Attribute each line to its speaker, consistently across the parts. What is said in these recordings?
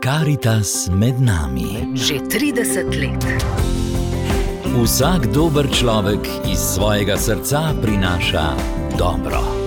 Speaker 1: Karitas med nami.
Speaker 2: Že 30 let.
Speaker 1: Vsak dober človek iz svojega srca prinaša dobro.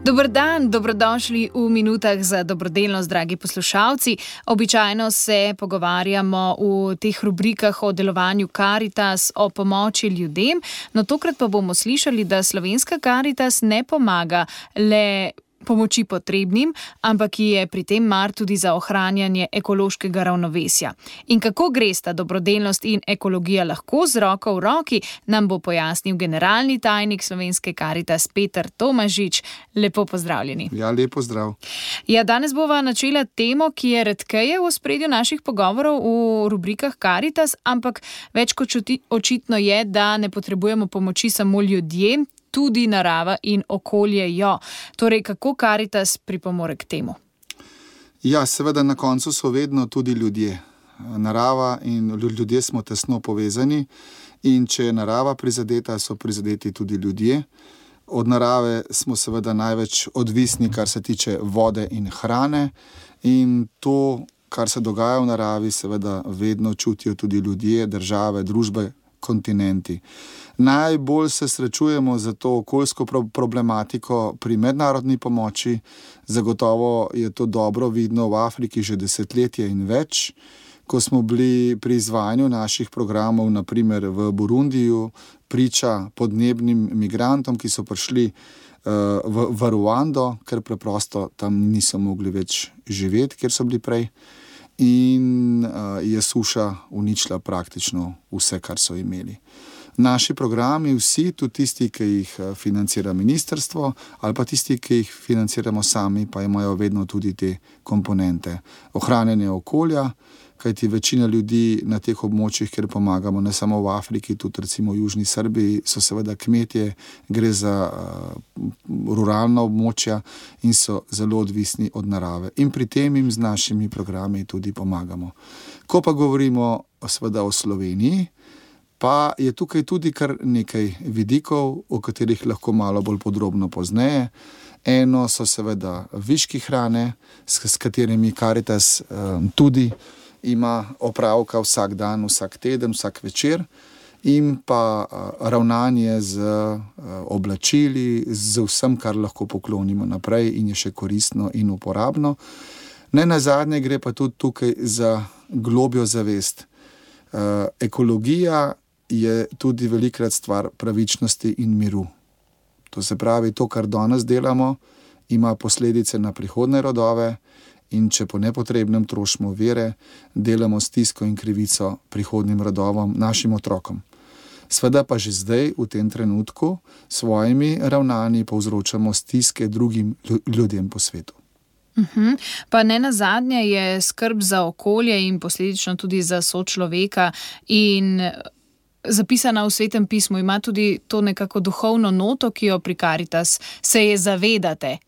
Speaker 3: Dober dan, dobrodošli v minutah za dobrodelnost, dragi poslušalci. Običajno se pogovarjamo v teh rubrikah o delovanju Karitas, o pomoči ljudem, no tokrat pa bomo slišali, da slovenska Karitas ne pomaga le pomoči potrebnim, ampak je pri tem mar tudi za ohranjanje ekološkega ravnovesja. In kako gresta dobrodelnost in ekologija lahko z roko v roki, nam bo pojasnil generalni tajnik slovenske Karitas Peter Tomažič. Lepo pozdravljeni.
Speaker 4: Ja, lepo zdrav.
Speaker 3: Ja, danes bova načela temo, ki je redkeje v ospredju naših pogovorov v rubrikah Karitas, ampak več kot očitno je, da ne potrebujemo pomoči samo ljudje, tudi narava in okolje jo. Torej, kako Karitas pripomore k temu?
Speaker 4: Ja, seveda na koncu so vedno tudi ljudje. Narava in ljudje smo tesno povezani in če je narava prizadeta, so prizadeti tudi ljudje. Od narave smo seveda največ odvisni, kar se tiče vode in hrane, in to, kar se dogaja v naravi, seveda vedno čutijo tudi ljudje, države, družbe, kontinenti. Najbolj se srečujemo za to okoljsko problematiko pri mednarodni pomoči. Zagotovo je to dobro vidno v Afriki že desetletje in več. Ko smo bili pri izvajanju naših programov, naprimer v Burundiju, priča podnebnim migrantom, ki so prišli v Ruando, ker preprosto tam niso mogli več živeti, kjer so bili prej. In je suša uničila praktično vse, kar so imeli. Naši programi, vsi, tudi tisti, ki jih financira ministrstvo, ali pa tisti, ki jih financiramo sami, pa imajo vedno tudi te komponente. Ohranjanje okolja, kajti večina ljudi na teh območjih, kjer pomagamo, ne samo v Afriki, tudi recimo v Južni Srbiji, so seveda kmetje, gre za ruralna območja in so zelo odvisni od narave. In pri tem jim z našimi programi tudi pomagamo. Ko pa govorimo seveda o Sloveniji, pa je tukaj tudi kar nekaj vidikov, o katerih lahko malo bolj podrobno pozneje. Eno so seveda viški hrane, s katerimi Karitas tudi ima opravka vsak dan, vsak teden, vsak večer, in pa ravnanje z oblačili, z vsem, kar lahko poklonimo naprej in je še koristno in uporabno. Ne nazadnje gre pa tudi tukaj za globjo zavest. Ekologija je tudi velikrat stvar pravičnosti in miru. To se pravi, to, kar danes delamo, ima posledice na prihodnje rodove, in če po nepotrebnem trošimo vire, delamo stisko in krivico prihodnjim rodovom, našim otrokom. Sveda pa že zdaj, v tem trenutku, svojimi ravnanji povzročamo stiske drugim ljudem po svetu.
Speaker 3: Pa ne nazadnje je skrb za okolje in posledično tudi za sočloveka in zapisana v Svetem pismu, ima tudi to nekako duhovno noto, ki jo pri Karitas se je zavedate.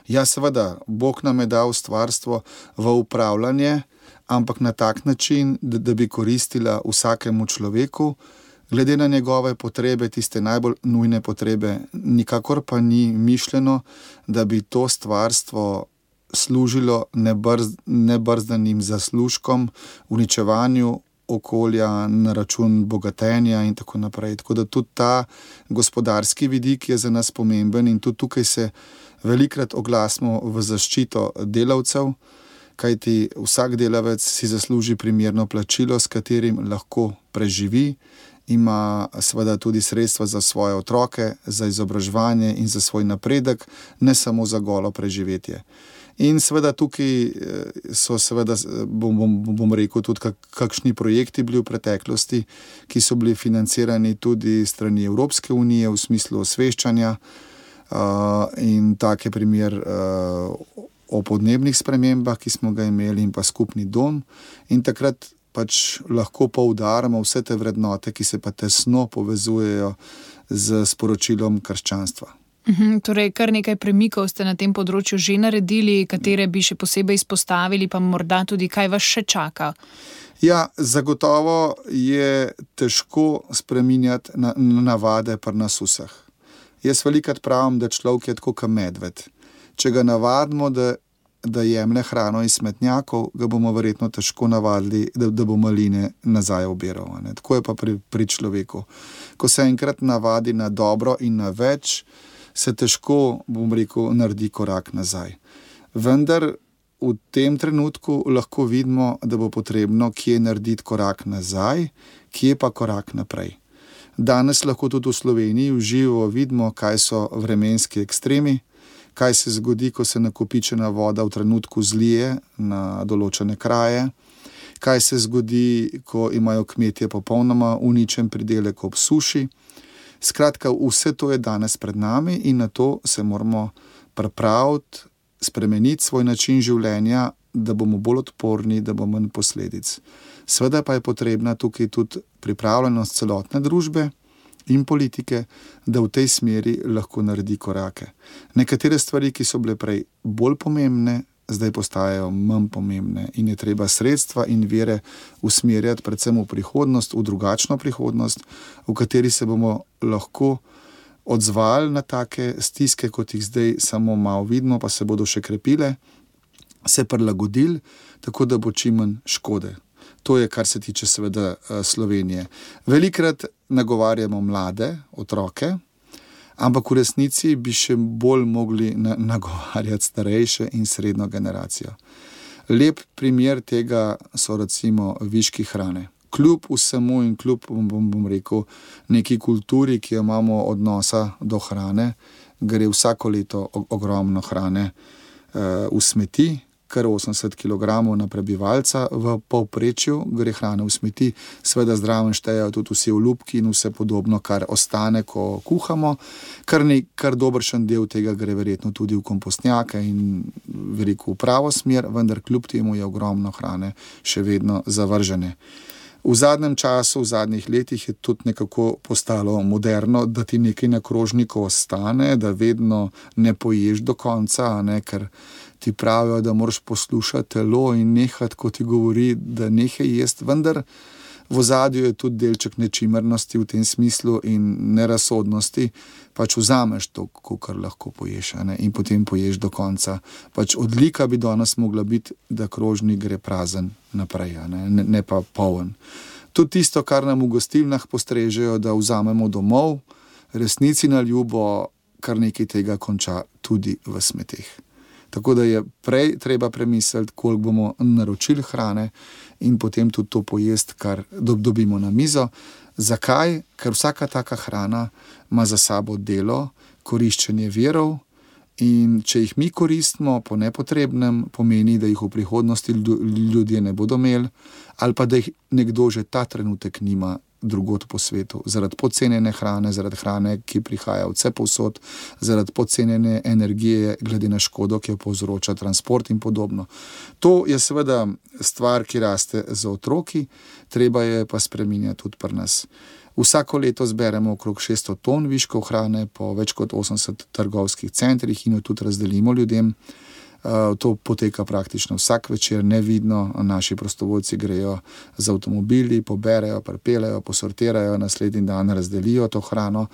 Speaker 4: Ja, seveda, Bog nam je dal stvarstvo v upravljanje, ampak na tak način, da bi koristila vsakemu človeku, glede na njegove potrebe, tiste najbolj nujne potrebe, nikakor pa ni mišljeno, da bi to stvarstvo služilo nebrzdanim zaslužkom, uničevanju okolja na račun bogatenja in tako naprej. Tako da tudi ta gospodarski vidik je za nas pomemben in tudi tukaj se velikrat oglasimo v zaščito delavcev, kajti vsak delavec si zasluži primerno plačilo, s katerim lahko preživi, ima seveda tudi sredstva za svoje otroke, za izobraževanje in za svoj napredek, ne samo za golo preživetje. In seveda tukaj so seveda, bom rekel, tudi kakšni projekti bili v preteklosti, ki so bili financirani tudi strani Evropske unije v smislu osveščanja, in tak je primer o podnebnih spremembah, ki smo ga imeli, in pa skupni dom. In takrat pač lahko poudarjamo vse te vrednote, ki se pa tesno povezujejo z sporočilom krščanstva.
Speaker 3: Torej, kar nekaj premikov ste na tem področju že naredili, katere bi še posebej izpostavili, pa morda tudi kaj vas še čaka?
Speaker 4: Ja, zagotovo je težko spreminjati navade pri nas vseh. Jaz velikokrat pravim, da človek je tako kot medved. Če ga navadimo, da jemlje hrano iz smetnjakov, ga bomo verjetno težko navadili, da bo maline nazaj obiral. Tako je pa pri človeku. Ko se enkrat navadi na dobro in na več, se težko, naredi korak nazaj. Vendar v tem trenutku lahko vidimo, da bo potrebno kje narediti korak nazaj, kje pa korak naprej. Danes lahko tudi v Sloveniji v živo vidimo, kaj so vremenski ekstremi, kaj se zgodi, ko se nakopičena voda v trenutku zlije na določene kraje, kaj se zgodi, ko imajo kmetje popolnoma uničen pridelek ob suši. Skratka, vse to je danes pred nami in na to se moramo pripraviti, spremeniti svoj način življenja, da bomo bolj odporni, da bomo manj posledic. Seveda pa je potrebna tukaj tudi pripravljenost celotne družbe in politike, da v tej smeri lahko naredi korake. Nekatere stvari, ki so bile prej bolj pomembne, zdaj postajajo manj pomembne in je treba sredstva in vire usmerjati predvsem v prihodnost, v drugačno prihodnost, v kateri se bomo lahko odzvali na take stiske, kot jih zdaj samo malo vidimo, pa se bodo še krepile, se prilagodili, tako da bo čim manj škode. To je, kar se tiče seveda Slovenije. Velikrat nagovarjamo mlade, otroke, ampak v resnici bi še bolj mogli nagovarjati starejše in srednjo generacijo. Lep primer tega so recimo viški hrane. Kljub vsemu in kljub, bom rekel, neki kulturi, ki jo imamo odnosa do hrane, gre vsako leto ogromno hrane v smeti, kar 80 kg na prebivalca v povprečju gre hrane v smeti. Seveda zraven štejejo tudi vsi olupki in vse podobno, kar ostane, ko kuhamo. Kar dobršen del tega gre verjetno tudi v kompostnjake in veliko v pravo smer, vendar kljub temu je ogromno hrane še vedno zavržene. V zadnjem času, v zadnjih letih je tudi nekako postalo moderno, da ti nekaj na krožniku ostane, da vedno ne poješ do konca, ker ti pravijo, da moraš poslušati telo in nehati, ko ti govori, da nehaj jesti, vendar v ozadju je tudi delček nečimrnosti v tem smislu in nerazsodnosti, vzameš to, kar lahko poješ, in potem poješ do konca. Odlika bi danes mogla biti, da krožnik gre prazen naprej, ne pa poln. Tudi tisto, kar nam v gostilnah postrežejo, da vzamemo domov, resnici na ljubo, kar nekaj tega konča tudi v smeteh. Tako da je prej treba premisliti, koliko bomo naročili hrane in potem tudi to pojesti, kar dobimo na mizo. Zakaj? Ker vsaka taka hrana ima za sabo delo, koriščenje virov in če jih mi koristimo po nepotrebnem, pomeni, da jih v prihodnosti ljudje ne bodo imeli ali pa da jih nekdo že ta trenutek nima drugod po svetu, zaradi podcenjene hrane, zaradi hrane, ki prihaja vse povsod, zaradi podcenjene energije, glede na škodo, ki jo povzroča transport in podobno. To je seveda stvar, ki raste za otroki, treba je pa spreminjati tudi pri nas. Vsako leto zberemo okrog 600 ton viškov hrane po več kot 80 trgovskih centrih in jo tudi razdelimo ljudem. To poteka praktično vsak večer, nevidno, naši prostovoljci grejo z avtomobili, poberejo, pripeljejo, posortirajo, naslednji dan razdelijo to hrano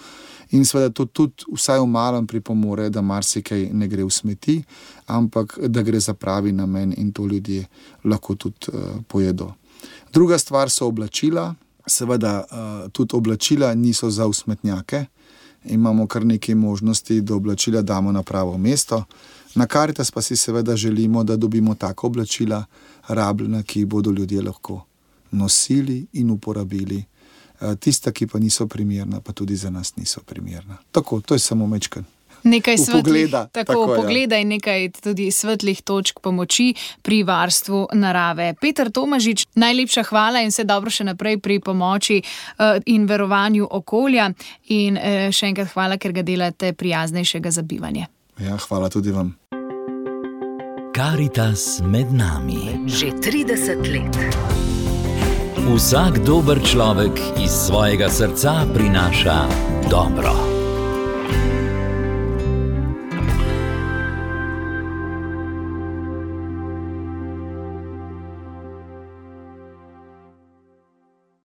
Speaker 4: in seveda to tudi vsaj v malem pripomore, da marsikaj ne gre v smeti, ampak da gre za pravi namen in to ljudje lahko tudi pojedo. Druga stvar so oblačila, seveda tudi oblačila niso za v smetnjake, imamo kar nekaj možnosti, da oblačila damo na pravo mesto. Na Karitas pa si seveda želimo, da dobimo tako oblačila rabljena, ki jih bodo ljudje lahko nosili in uporabili. Tista, ki pa niso primerna, pa tudi za nas niso primerna. Tako, to je samo mečkan.
Speaker 3: Nekaj svetlih pogleda in nekaj tudi svetlih točk pomoči pri varstvu narave. Peter Tomažič, najlepša hvala in vse dobro še naprej pri pomoči in varovanju okolja in še enkrat hvala, ker ga delate prijaznejšega za bivanje.
Speaker 4: Ja, hvala tudi vam.
Speaker 1: Karitas med nami.
Speaker 2: Že 30 let.
Speaker 1: Vsak dober človek iz svojega srca prinaša dobro.